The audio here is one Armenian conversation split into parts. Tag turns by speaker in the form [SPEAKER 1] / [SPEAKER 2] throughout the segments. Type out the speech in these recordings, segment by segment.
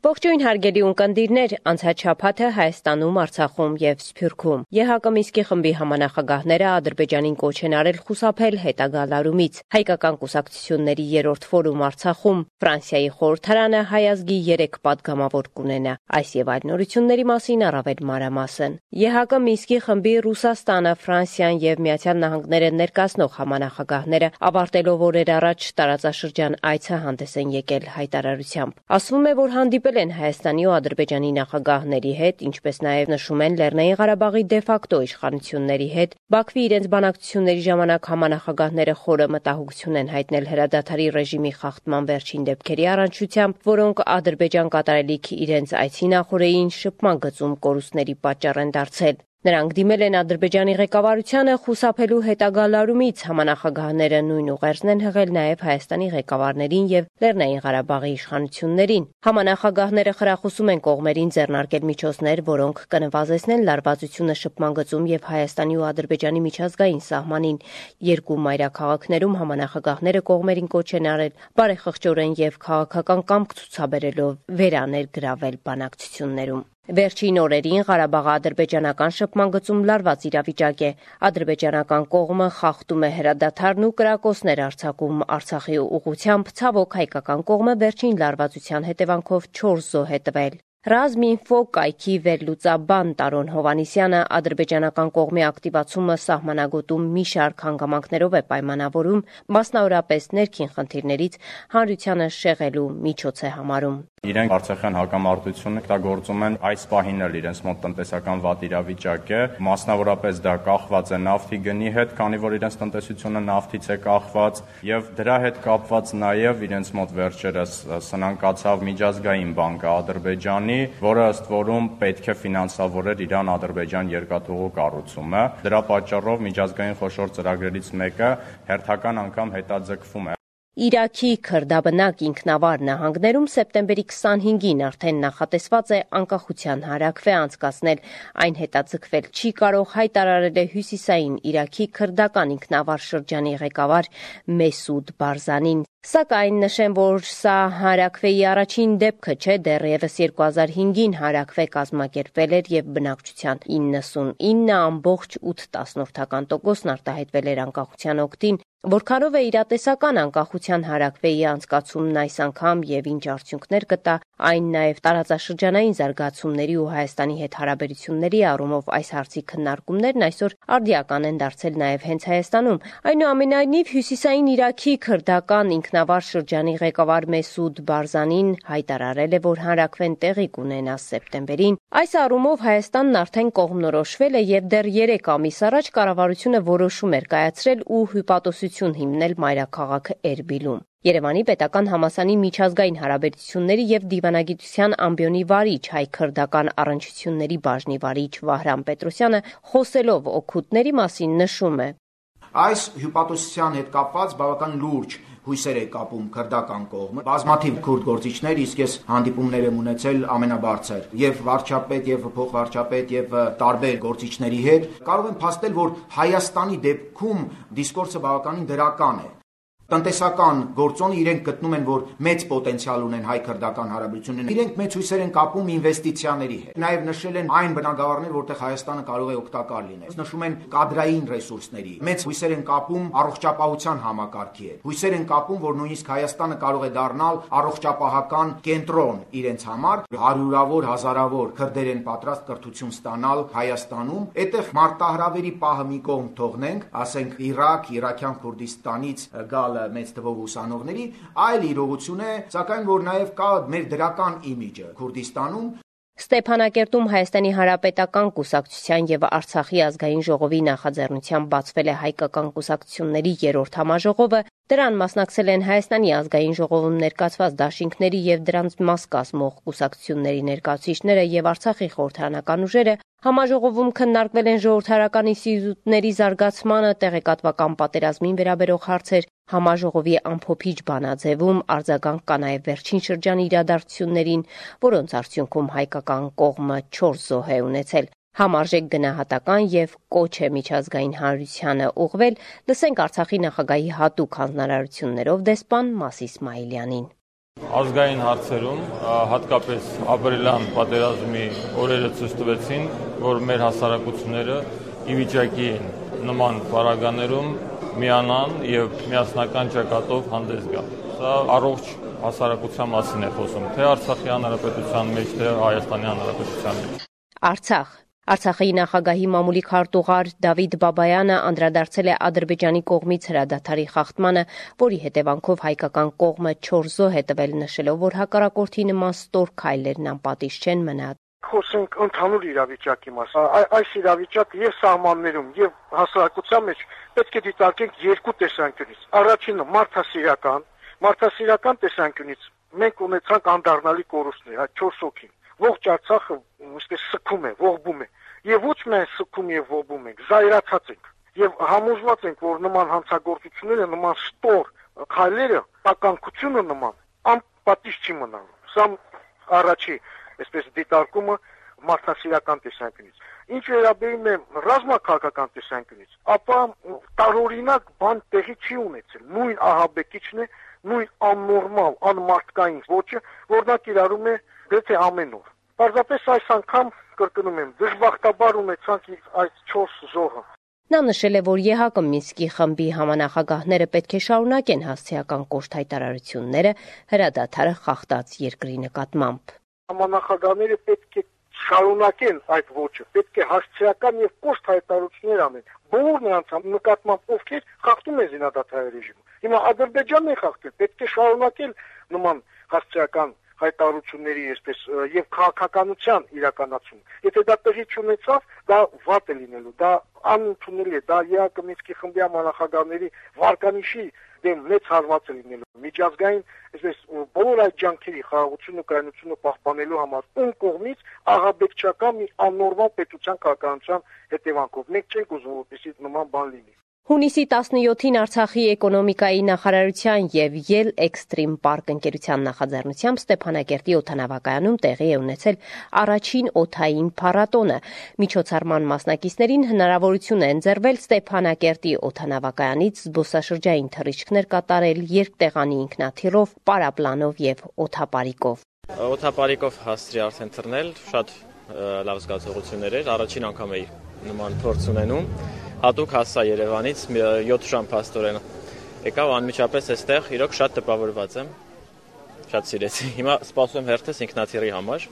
[SPEAKER 1] Ողջույն հարգելի ունկնդիրներ, անցած շաբաթը Հայաստանում, Արցախում եւ Սփյուռքում ԵՀԿ Մինսկի խմբի համանախագահները Ադրբեջանին կոչ են արել խուսափել հետագա լարումից։ Հայկական կուսակցությունների 3-րդ ֆորում Արցախում Ֆրանսիայի խորհրդարանը հայ ազգի 3 պատգամավոր կունենա։ Այս եւ այլ նորությունների մասին առավել մանրամասն։ ԵՀԿ Մինսկի խմբի Ռուսաստանը, Ֆրանսիան եւ Միացյալ Նահանգները ներկայացնող համանախագահները ավարտելով օրեր առաջ տարածաշրջան այցը հանդես են եկել հայտարարությամբ։ Ասվում է, որ հանդիպել են Հայաստանի ու Ադրբեջանի նախագահների հետ, ինչպես նաև նշում են Լեռնային Ղարաբաղի դեֆակտո իշխանությունների հետ։ Բաքվի իրենց բանակցությունների ժամանակ համանախագահները խորը մտահոգություն են հայտնել հրադադարի ռեժիմի խախտման վերջին դեպքերի առնչությամբ, որոնք Ադրբեջան կատարելիք իրենց այցի նախօրեին շփման գծում կորուստների պատճառ են դարձել։ Նրանք դիմել են Ադրբեջանի ղեկավարությանը խուսափելու հետագա լարումից, համանախագահները նույն ուղերձն են հղել նաև Հայաստանի ղեկավարներին եւ Լեռնային Ղարաբաղի իշխանություններին։ Համանախագահները խրախուսում են կողմերին ձեռնարկել միջոցներ, որոնք կնվազեցնեն լարվածությունը շփման գծում եւ Հայաստանի ու Ադրբեջանի միջազգային սահմանին։ Երկու մայրաքաղաքներում համանախագահները կողմերին կոչ են արել բարեխղճորեն եւ քաղաքական կամք ցուցաբերելով վերաներգրավել բանակցություններում։ Վերջին օրերին Ղարաբաղ-ադրբեջանական շփման գծում լարված իրավիճակ է։ Ադրբեջանական կողմը խախտում է հրադադարն ու կրակոցներ արձակում Արցախի ուղղությամբ, ցավոք հայկական կողմը վերջին լարվածության հետևանքով 4 զոհ է տվել։ Ռազմինֆո կայքի վերլուծաբան Տարոն Հովհաննիսյանը ադրբեջանական կողմի ակտիվացումը սահմանագոտում մի շարք հանգամանքներով է պայմանավորում, մասնավորապես ներքին խնդիրներից հանրությանը շեղելու միջոց է համարում։
[SPEAKER 2] Իրենք Արցախյան հակամարտությունը օգտագործում են այս պահին էլ իրենց մոտ տնտեսական վատ իրավիճակ է, մասնավորապես դա կախված է նավթի գնի հետ, քանի որ իրենց տնտեսությունը նավթից է կախված, եւ դրա հետ կապված նաեւ իրենց մոտ վերջերս սնանկացավ միջազգային բանկը Ադրբեջանի, որը ըստ որում պետք է ֆինանսավորեր Իրան-Ադրբեջան երկաթուղու կառուցումը։ Դրա պատճառով միջազգային խոշոր ծրագրերից մեկը հերթական անգամ հետաձգվում է։
[SPEAKER 1] Իրաքի քրդաբնակ ինքնավար նահանգներում սեպտեմբերի 25-ին արդեն նախատեսված է անկախության հարակվե անցկացնել։ Այն հետաձգվել չի կարող, հայտարարել է հյուսիսային Իրաքի քրդական ինքնավար շրջանի ղեկավար Մեսուդ Բարզանին։ Սակայն նշեմ, որ սա հարակվեի առաջին դեպքը չէ, դեռևս 2005-ին հարակվե կազմակերպվել էր եւ բնակչության 99.8% արտահայտվել էր անկախության օգտին, որքանով է իրատեսական անկախության հարակվեի անցկացումն այս անգամ եւ ինչ արդյունքներ կտա, այն նաեւ տարածաշրջանային զարգացումների ու Հայաստանի հետ հարաբերությունների առումով այս հարցի քննարկումներն այսօր արդիական են դարձել նաեւ հենց Հայաստանում։ Այնուամենայնիվ հյուսիսային Իրաքի քրդական ինքնավար շրջանի ղեկավար Մեսուդ Բարզանին հայտարարել է, որ հանրակվեն տեղի կունենա սեպտեմբերին։ Այս առումով Հայաստանն արդեն կողմնորոշվել է եւ դեռ 3 ամիս առաջ կառավարությունը որոշում էր կայացրել ու հյուպատոսություն հիմնել մայրաքաղաք Էրբիլում։ Երևանի պետական համալսարանի միջազգային հարաբերությունների եւ դիվանագիտության ամբիոնի վարիչ հայ-քրդական առնչությունների բաժնի վարիչ Վահրամ Պետրոսյանը խոսելով օգուտների մասին նշում է.
[SPEAKER 3] Այս հյուպատոսության հետ կապված բավական լուրջ հույսեր է կապում քրդական կողմը։ Բազմաթիվ քուրդ գործիչներ, իսկ ես հանդիպումներ եմ ունեցել ամենաբարձր եւ վարչապետ եւ փոխվարչապետ եւ տարբեր գործիչների հետ, կարող եմ փաստել, որ Հայաստանի դեպքում դիսկուրսը բավականին դրական է։ Տնտեսական գործոնը իրենք գտնում են, որ մեծ պոտենցիալ ունեն հայ-քրդական հարաբերությունները։ Իրենք մեծ հույսեր են կապում ինվեստիցիաների հետ։ Նաև նշել են այն բնագավառներ, որտեղ Հայաստանը կարող է օգտակար լինել։ Նշում են կադրային ռեսուրսների։ Մեծ հույսեր են կապում առողջապահության համակարգի հետ։ Հույսեր են կապում, որ նույնիսկ Հայաստանը կարող է դառնալ առողջապահական կենտրոն իրենց համար։ Հարյուրավոր, հազարավոր քրդեր են պատրաստ կրթություն ստանալ Հայաստանում։ Այդտեղ մարտահրավերի պահը մի կողմ թողնենք, ասենք Իրաք, Իրաքյան Քուրդիստանից գալ մեծ թվով ուսանողների, այլ իրողություն է, սակայն որ նաև կա մեր դրական իմիջը Քուրդիստանում։
[SPEAKER 1] Ստեփանակերտում Հայաստանի Հանրապետական կուսակցության եւ Արցախի ազգային ժողովի նախաձեռնությամբ բացվել է հայկական կուսակցությունների 3-րդ համաժողովը։ Դրան մասնակցել են Հայաստանի ազգային ժողովում ներկայացված դաշինքների եւ դրանց մաս կազմող կուսակցությունների ներկայացուցիչները եւ Արցախի խորհրդարանական ուժերը։ Համաժողովում քննարկվել են ժողովրդարական ինստիտուտների զարգացմանը, տեղեկատվական պատերազմին վերաբերող հարցեր, համաժողովի ամփոփիչ բանաձևում արձագանք կա նաև վերջին շրջանի իրադարձություններին, որոնց արդյունքում հայկական կողմը 4 զոհ է ունեցել։ Համարժեք գնահատական եւ կոչ է միջազգային հանրությանը ուղղվել, լսենք Արցախի նախագահի հատուկ հանձնարարություններով դեսպան Մաս Իսմայիլյանին։
[SPEAKER 4] Ազգային հարցերում, հատկապես ապրիլյան պատերազմի օրերը ցույց տվեցին, որ մեր հասարակությունները ի վիճակի են նման պարագաներում միանան եւ միասնական ճակատով հանդես գալ։ Սա առողջ հասարակության մասին է խոսում, թե Արցախի հանրապետության մեջ, թե Հայաստանի հանրապետության մեջ։
[SPEAKER 1] Արցախի նախագահի մամուլի քարտուղար Դավիթ Բաբայանը անդրադարձել է Ադրբեջանի կողմից հրադադարի խախտմանը, որի հետևանքով հայկական կողմը 4 զոհ է տվել, նշելով, որ հակառակորդի նման ստոր քայլերն անպատիժ չեն մնա։
[SPEAKER 5] Խոսենք ընդհանուր իրավիճակի մասին։ Այս իրավիճակը եւ սահմաններում եւ հասարակության մեջ պետք է դիտարկենք երկու տեսանկյունից։ Առաջինը մարդասիրական տեսանկյունից մենք ունեցանք անդառնալի կորուստներ, այդ 4 հոգին։ Ողջ Արցախը ըստ սքում է, ողբում է։ Եվ ոչ միայն սքում եւ ողբում ենք, զայրացած ենք եւ համոզված ենք, որ նման հանցագործությունները, նման ստոր քայլերը, տականքությունը նման անպատիժ չի մնալու։ Սա առաջի, այսպես դիտարկումը մարդասիրական տեսանկյունից։ Ինչ վերաբերում է ռազմաքաղաքական տեսանկյունից, ապա տարօրինակ բան տեղի չի ունեցել։ Նույն ահաբեկիչն է, նույն աննորմալ, անմարդկային ոճը, որ նա կիրառում է գրեթե ամեն օր։ Պարզապես այս անգամ կրկնում եմ, դժբախտաբար ունեցանք այս 4 զոհը։
[SPEAKER 1] Նա նշել է, որ ԵՀԿ Մինսկի խմբի համանախագահները պետք է շարունակեն հասցեական կոշտ հայտարարությունները հրադադարը խախտած երկրի նկատմամբ։
[SPEAKER 5] Համանախագահները պետք է շարունակեն այդ ոճը, պետք է հասցեական եւ կոշտ հայտարարություններ անեն։ Բոլոր նրանց նկատմամբ ովքեր խախտում են զինադադարի ռեժիմը։ Հիմա Ադրբեջանն է խախտել, պետք է շարունակել նման հասցեական հայտարարությունների այսպես եւ քաղաքականության իրականացում։ Եթե դա տեղի չունեցավ, դա վատ է լինելու, դա անընդունելի է, դա ԵԱԿ Մինսկի խմբի համանախագահների վարկանիշի դեմ մեծ հարված է լինելու։ Միջազգային այսպես բոլոր այդ ջանքերի խաղաղությունը, կայունությունը պահպանելու համար ում կողմից ահաբեկչական մի աննորմալ պետության քաղաքականության հետևանքով։ Մենք չենք ուզում, որպեսզի նման բան լինի։
[SPEAKER 1] Հունիսի 17-ին Արցախի էկոնոմիկայի նախարարության եւ Yell Extreme Park ընկերության նախաձեռնությամբ Ստեփանակերտի օդանավակայանում տեղի է ունեցել առաջին օդային փառատոնը։ Միջոցառման մասնակիցներին հնարավորություն է ընձեռվել Ստեփանակերտի օդանավակայանից զբոսաշրջային թռիչքներ կատարել երկտեղանի ինքնաթիռով, պարապլանով եւ օդապարիկով։
[SPEAKER 6] Օդապարիկով հասցրի արդեն թռնել, շատ լավ զգացողություններ էր, առաջին անգամ էի նման փորձ ունենում։ Հատուկ հասա Երևանից 7 ժամ փաստորեն եկավ անմիջապես այստեղ, իրոք շատ տպավորված եմ, շատ սիրեցի։ Հիմա սպասում եմ հերթս ինքնաթիռի համար։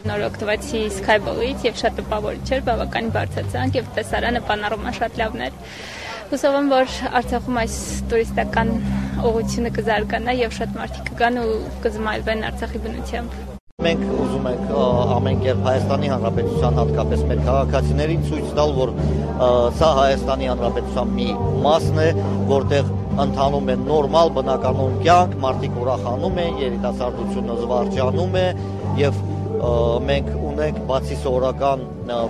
[SPEAKER 7] Նոր օգտվեցի Skyball-ից եւ շատ տպավորիչ էր, բավականին բարձրացանք եւ տեսարանը պանորամա շատ լավն էր։ Հուսով եմ, որ Արցախում այս տուրիստական ուղղությունը կզարգանա եւ շատ մարդիկ կգան ու կզմայլվեն Արցախի բնությամբ։
[SPEAKER 8] Մենք ուզում ենք ամեն կերպ Հայաստանի Հանրապետության հատկապես մեր քաղաքացիներին ցույց տալ, որ սա Հայաստանի Հանրապետության մի մասն է, որտեղ ընթանում է նորմալ բնականոն կյանք, մարդիկ ուրախանում են, երիտասարդությունը զվարճանում է եւ մենք ունենք բացի սովորական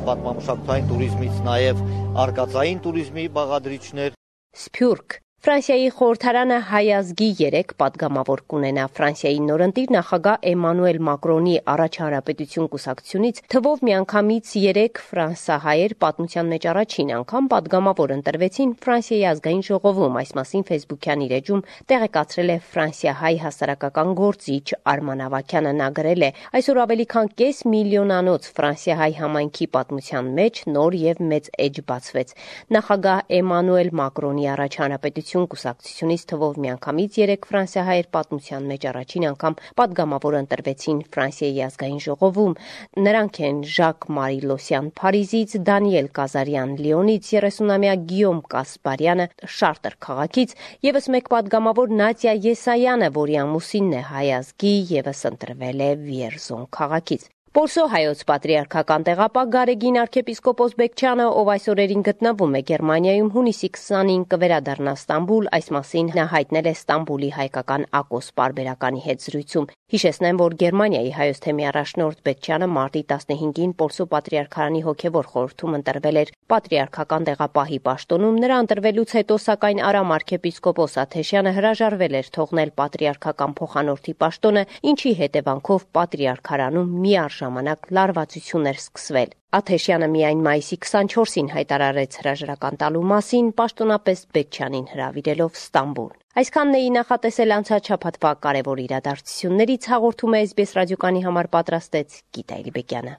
[SPEAKER 8] պատմամշակութային туриզմից նաեւ արկածային туриզմի բաղադրիչներ։
[SPEAKER 1] Սփյուռք Ֆրանսիայի խորհրդարանը հայ ազգի 3 պատգամավոր կունենա։ Ֆրանսիայի նորընտիր նախագահ Էմանուել Մակրոնի առաջ հանրապետություն կուսակցությունից թվով միանգամից 3 ֆրանսահայեր պատմության մեջ առաջին անգամ պատգամավոր ընտրվեցին Ֆրանսիայի ազգային ժողովում։ Այս մասին Facebook-յան իր էջում տեղեկացրել է ֆրանսիահայ հասարակական գործիչ Արման Ավագյանը։ Նա գրել է. այսօր ավելի քան կես միլիոնանոց ֆրանսիահայ համայնքի պատմության մեջ նոր եւ մեծ էջ բացվեց։ Նախագահ Էմանուել Մակրոնի առաջ հանրապետություն կուսակցությունից թվով միանգամից 3 ֆրանսիահայեր պատմության մեջ առաջին անգամ պատգամավոր ընտրվեցին Ֆրանսիայի ազգային ժողովում։ Նրանք են Ժակ Մարիլոսյան Փարիզից, Դանիել Կազարյան Լիոնից, 30-ամյա Գիյոմ Կասպարյանը Շարտեր քաղաքից, եւս մեկ պատգամավոր Նատիա Եսայանը, որի ամուսինն է հայ ազգի, եւս ընտրվել է Վիերզոն քաղաքից։ Պորսո հայոց պատրիարքական տեղապահ Գարեգին arczepiskopos Բեկչյանը, ով այս օրերին գտնվում է Գերմանիայում, հունիսի 20-ին կվերադառնա Ստամբուլ, այս մասին նա հայտնել է Ստամբուլի հայկական Ակոս պարբերականի հետ զրույցում։ Հիշեցնեմ, որ Գերմանիայի հայոց թեմի առաջնորդ Բեկչյանը մարտի 15-ին Պորսո պատրիարքարանի հոգևոր խորհրդում ընտրվել էր պատրիարքական տեղապահի պաշտոնում։ Նրա ընտրվելուց հետո, սակայն Արամ arczepiskopos Աթեշյանը հրաժարվել էր թողնել պատրիարքական փոխանորդի պաշտոնը, ինչի հետևանքով պատրիարքարանում միարժ ժամանակ լարվածություններ սկսվել։ Աթեշյանը միայն մայիսի 24-ին հայտարարեց հրաժարական տալու մասին, պաշտոնապես Բեկչյանին հրավիրելով Ստամբուլ։ Այսքանն էի նախատեսել անցած շաբաթվա կարևոր իրադարձություններից, հաղորդում է SBS ռադիոկանի համար պատրաստեց Գիտա Էլիբեկյանը։